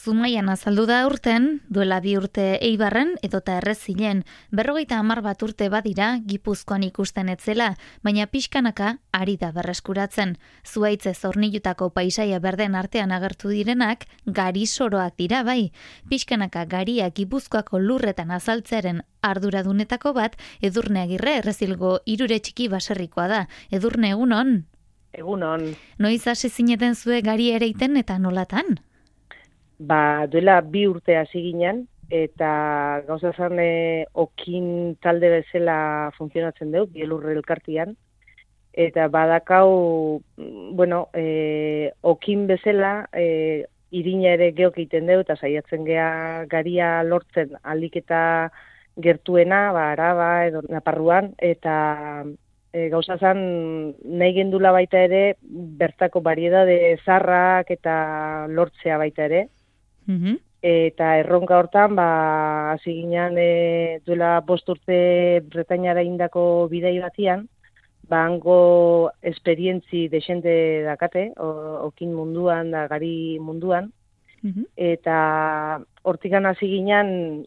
Zumaian azaldu da urten, duela 2 urte Eibarren edota Errezilen, 50 bat urte badira Gipuzkoan ikusten etzela, baina pixkanaka ari da berreskuratzen. Zuhaitze zornilutako paisaia berden artean agertu direnak, gari soroak dira bai. Pixkanaka garia Gipuzkoako lurretan azaltzearen arduradunetako bat, Edurne Agirre Errezilgo Hirure Txiki baserrikoa da. Edurne, egunon? Egunon. Noiz hasi zineten zue gari ereiten eta nolatan? Duela 2 urte hasi ginen, eta gauza zan okin talde bezala funtzionatzen dut, Bielurre elkartian, eta badakau, okin bezala, irina ere geok egiten dut, eta saiatzen gea garia lortzen aldiketa gertuena, Araba edo Naparruan, eta gauza zan nahi gendula baita ere, bertako bariedade zarrak eta lortzea baita ere. Eta erronka hortan, hasi ginen duela 5 urte Bretainara indako bidai batian, hango esperientzi desente dakate, okin munduan, da gari munduan, eta hortikan hasi ginen,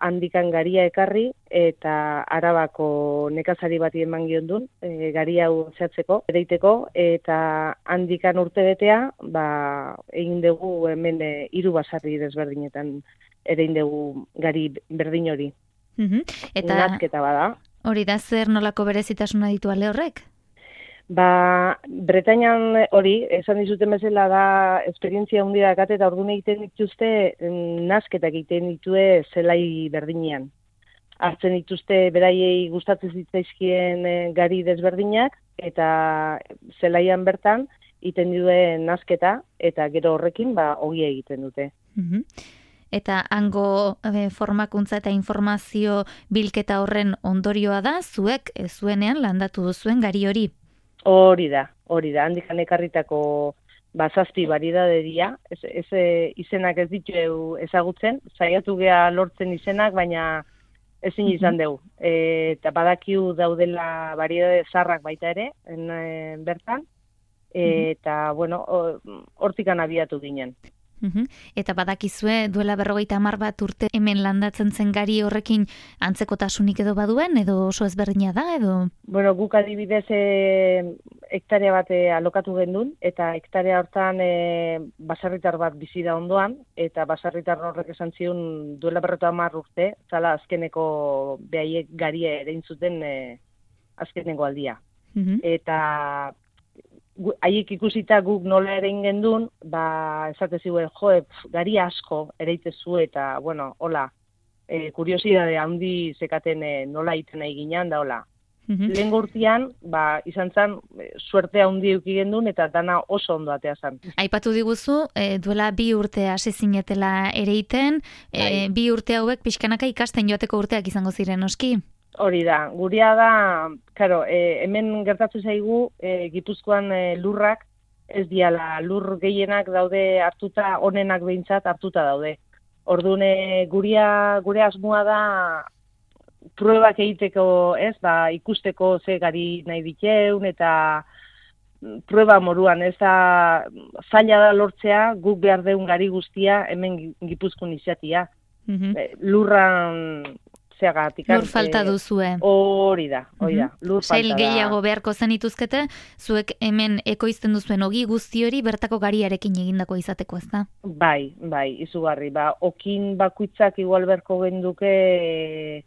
handikan garia ekarri, eta Arabako nekazari bati eman giondun, garia hau zehatzeko, ereiteko, eta handikan urte betea, egin dugu hemen 3 basarri desberdinetan egin dugu gari berdin hori. Eta nazketa bada. Hori da, zer nolako berezitasuna ditu ale horrek? Bretainan hori, esan dizuten bezala da, esperientzia hundi dakate, eta orduan egiten dituzte, nazketak egiten ditue zelai berdinean. Hartzen dituzte beraiei gustatzen zitzaizkien gari desberdinak, eta zelaian bertan, egiten dituen nazketa, eta gero horrekin, ogia egiten dute. Eta hango formakuntza eta informazio bilketa horren ondorioa da, zuek zuenean landatu duzuen gari hori? Hori da, handikan ekarritako 7 baridade dira, izenak ez ditu ezagutzen, saiatu gea lortzen izenak, baina ezin izan dugu. Eta badakiu daudela baridade zarrak baita ere, bertan, eta, hortikan abiatu ginen. Eta badakizue duela 50 bat urte hemen landatzen zen gari horrekin antzekotasunik edo baduen, edo oso ezberdina da, edo? Guk adibidez hektarea bat alokatu gendun, eta hektarea hortan baserritar bat bizi da ondoan, eta baserritar horrek esan zion duela 50 urte, zala azkeneko behaiek garia erein zuten azkeneko aldia. Eta haiek ikusita guk nola ere ingendun, esate ziuen, gari asko ereitezu eta, hola, kuriosidade handi zekaten nola egiten nahi ginen, da hola. Lehen urtean, izan zen, suerte handi euki gendun eta dana oso ondo atea zen. Aipatu diguzu, duela 2 urte hasi zinetela ereiten, 2 urte hauek pixkanaka ikasten joateko urteak izango ziren, oski? Hori da, guria da, hemen gertatu zaigu, Gipuzkoan lurrak, ez diala, lur gehienak daude hartuta, onenak behintzat hartuta daude. Orduan, gure asmoa da, pruebak egiteko, ikusteko ze gari nahi diteun, eta prueba moruan, ez da, zaila da lortzea, guk behar deun gari guztia, hemen Gipuzkoan izatia. Lurran, lur falta duzue. Hori da, lur falta da. Sail gehiago beharko zenituzkete, zuek hemen ekoizten duzuen ogi guzti hori bertako gariarekin egindako izateko, ez da? Bai, izugarri. Okin bakuitzak igual berko genduke,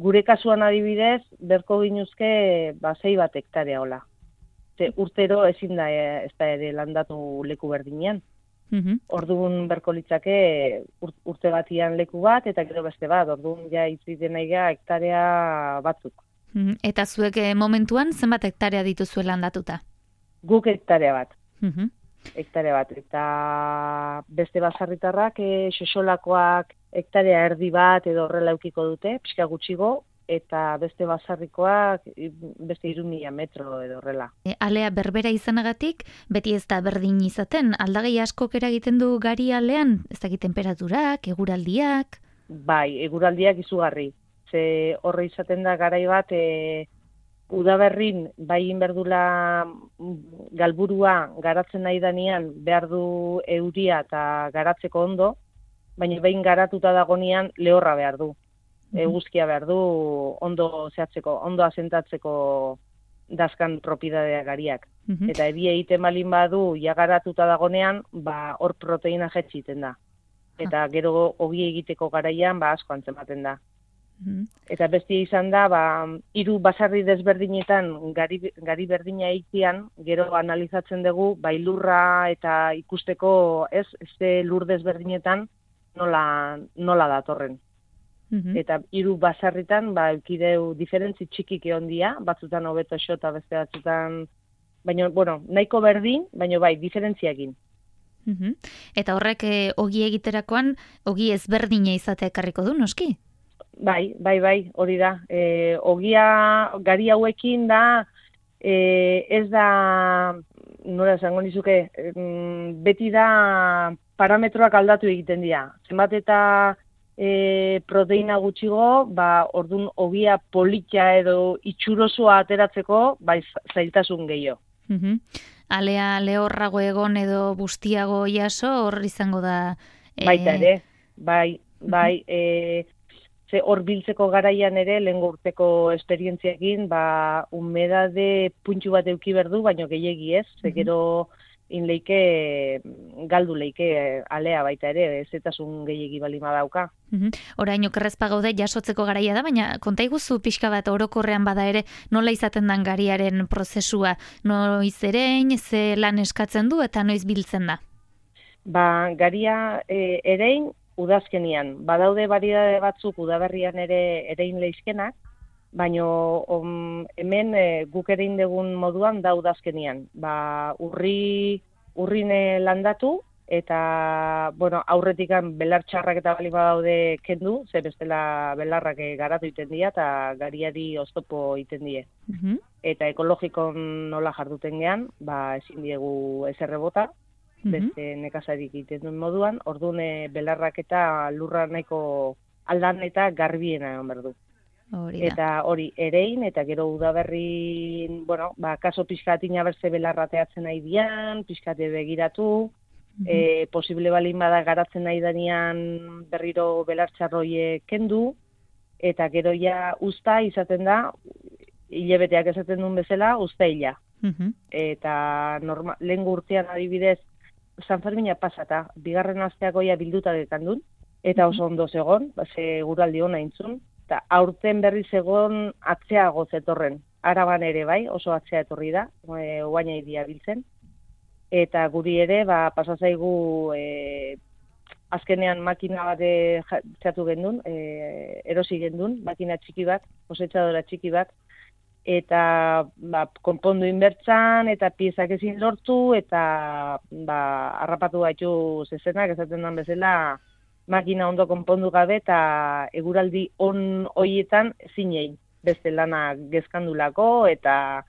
gure kasuan adibidez, berko ginuzke 6 bat hektarea hola. Urtero ezin da ez da ere landatu leku berdinean. Orduan berko litzake urte batian leku bat, eta gero beste bat, orduan itziten nahi hektarea batzuk. Eta zuek momentuan zenbat hektarea dituzue landatuta? Guk hektarea bat. Hektarea bat, eta beste basarritarrak, xexolakoak hektarea erdi bat edo horrela eukiko dute, pixka gutxigo, eta beste basarrikoak beste 3.000 metro edo horrela. Alea berbera izanagatik, beti ez da berdin izaten, aldagai askok eragiten du gari alean, ez dakit temperaturak, eguraldiak? Bai, eguraldiak izugarri. Horre izaten da garai bat, udaberrin bai inberdula galburua garatzen nahi danean behar du euria eta garatzeko ondo, baina behin garatuta dagonean lehorra behar du. Eguzkia behar du ondo zehatzeko, ondo asentatzeko dazkan propiedadea gariak. Eta ebi egiten balin badu ja garatuta dagonean, hor proteina jetxiten da. Eta gero ogi egiteko garaian asko antzematen da. Eta bestia izan da, 3 basarri desberdinetan gari berdina egitean, gero analizatzen dugu, lurra eta ikusteko ze lur desberdinetan nola datorren. Eta 3 basarritan, eukideu diferentzi txikik egon dia, batzutan hobeto xota, beste batzutan, baina, nahiko berdin, baina diferentziakin. Eta horrek ogi egiterakoan, ogi ezberdina izatea ekarriko du, noski? Bai, hori da. Ogia gari hauekin da, ez da, nola esango nizuke, beti da parametroak aldatu egiten dira. Zenbat eta proteina gutxigo, ordun ogia polita edo itxurosoa ateratzeko, zailtasun gehiago. Alea lehorrago egon edo bustiago jaso, hor izango da... Baita ere, bai, hor biltzeko garaian ere, lehengo urteko esperientziakin, humedade puntxu bat euki berdu, baino gehiegi ez, gero inleike, galdu leike alea baita ere, ezetasun gehiegi balima dauka. Orain okerrezpa gaude jasotzeko garaia da, baina konta iguzu pixka bat orokorrean bada ere, nola izaten dan gariaren prozesua, noiz erein, ze lan eskatzen du eta noiz biltzen da? Garia erein, udazkenian. Badaude variedade batzuk udaberrian ere erein leizkenak, baina hemen guk erein dugun moduan da udazkenian. Urrin landatu eta aurretikan belar txarrak eta bali badaude kendu, ze bestela belarrak garatu iten dira eta gariari oztopo iten die. Eta ekologikon nola jarduten gean, ezin diegu ezerre bota, beste nekazarik egiten duen moduan, orduan belarrak eta lurra nahiko aldan eta garbiena egon berdu. Eta hori erein, eta gero udaberri, kaso pixkatina berze belarrateatzen nahi dian, pixkate begiratu, posible balin bada garatzen nahi danean berriro belartxarroie kendu, eta gero ja usta izaten da, hilebeteak esaten duen bezala, usta hila. Eta lehen urtean adibidez, San Fermina pasata, bigarren asteako ja bilduta dekandun, eta oso ondo zegon, guraldi hona intzun, eta aurten berriz egon atzeago zetorren. Araban ere bai, oso atzea etorri da, oaina idia biltzen. Eta guri ere, pasazaigu azkenean makina bat txatu gendun, erosi gendun, makina txiki bat, kosetxadora txiki bat, eta konpondu inbertzan, eta piezak ezin lortu, eta harrapatu gaitu zezenak, esaten den bezala, makina ondo konpondu gabe, eta eguraldi on hoietan zinei, beste lana gezkandulako, eta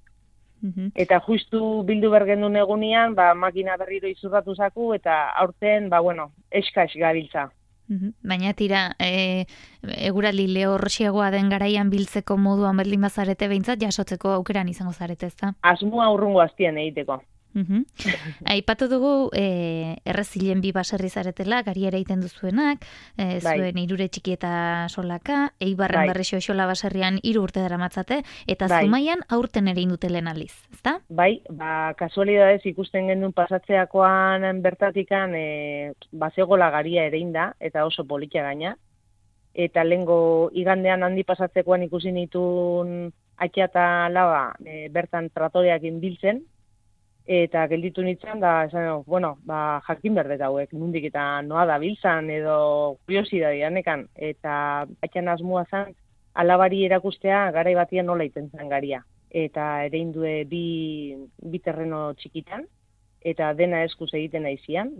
justu bildu bergendun egunean, makina berriro izurratu zaku, eta aurten, eskaz gabiltza. Baina tira, eguraldi lehorxiagoa den garaian biltzeko moduan berdin bazarete behintzat, jasotzeko aukeran izango zarete, ez da? Asmoa urrungo aztien egiteko. Aipatu dugu errezilen 2 baserri zaretela, gari ere egiten duzuenak, zuen Irure txiki eta Solaka, Eibarren Berrexo Xola baserrian 3 urte daramatzate, eta Zumaian aurten ere indutelen aliz, ezta? Bai, kasualidadez ikusten gendun pasatzeakoan bertatikan bazegola garia ere inda, eta oso politia gaina, eta lehengo igandean handi pasatzekoan ikusi nitun akia eta laba bertan tratoreakin biltzen, eta gelditu nintzen, jakin berdet hauek, nundik eta noa da biltzan, edo kuriosidadeanekan, eta atxan asmua zen, alabari erakustea garai batian nola iten zen garia. Eta ere indue bi terreno txikitan, eta dena eskuz egiten aizian,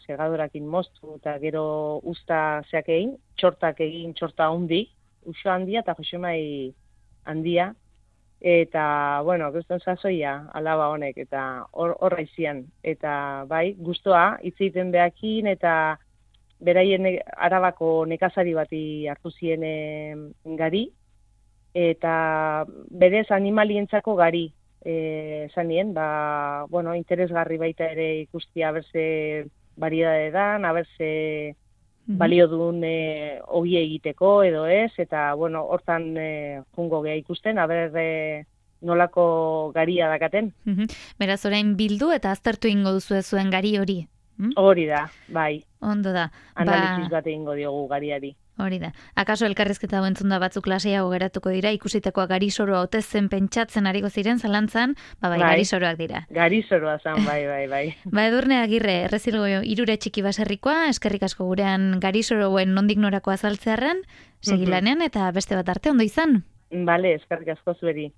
segadorakin moztu, eta gero usta zeak egin, txortak egin, txorta handi, uso handia eta josemai handia, eta, kriston sasoia alaba honek, eta horra izian. Eta, guztua, hitz egiten behakin, eta beraien Arabako nekazari bati hartu zien gari, eta berez animalientzako gari. Zanien, interesgarri baita ere ikustia berze variedade dan, berze balio duen ogi egiteko edo ez, eta hortan jungo geha ikusten, nolako garia dakaten. Beraz, orain bildu eta aztertu ingo duzu zuen gari hori. Hori da, bai. Ondo da. Analiziz bat egingo diogu gariari. Hori da. Akaso elkarrizketa hau entzunda batzuk klaseiago geratuko dira, ikusitekoa garisoroa ote zen pentsatzen ariko ziren zalantzan, garisoroak dira. Garisoroa zan, bai. Edurne Agirre, Errezilgo Irure Txiki Baserrikoa, eskerrik asko gurean garisoroen nondik norako azaltzearren, segilanean eta beste bat arte ondo izan. Bale, eskerrik asko zueri.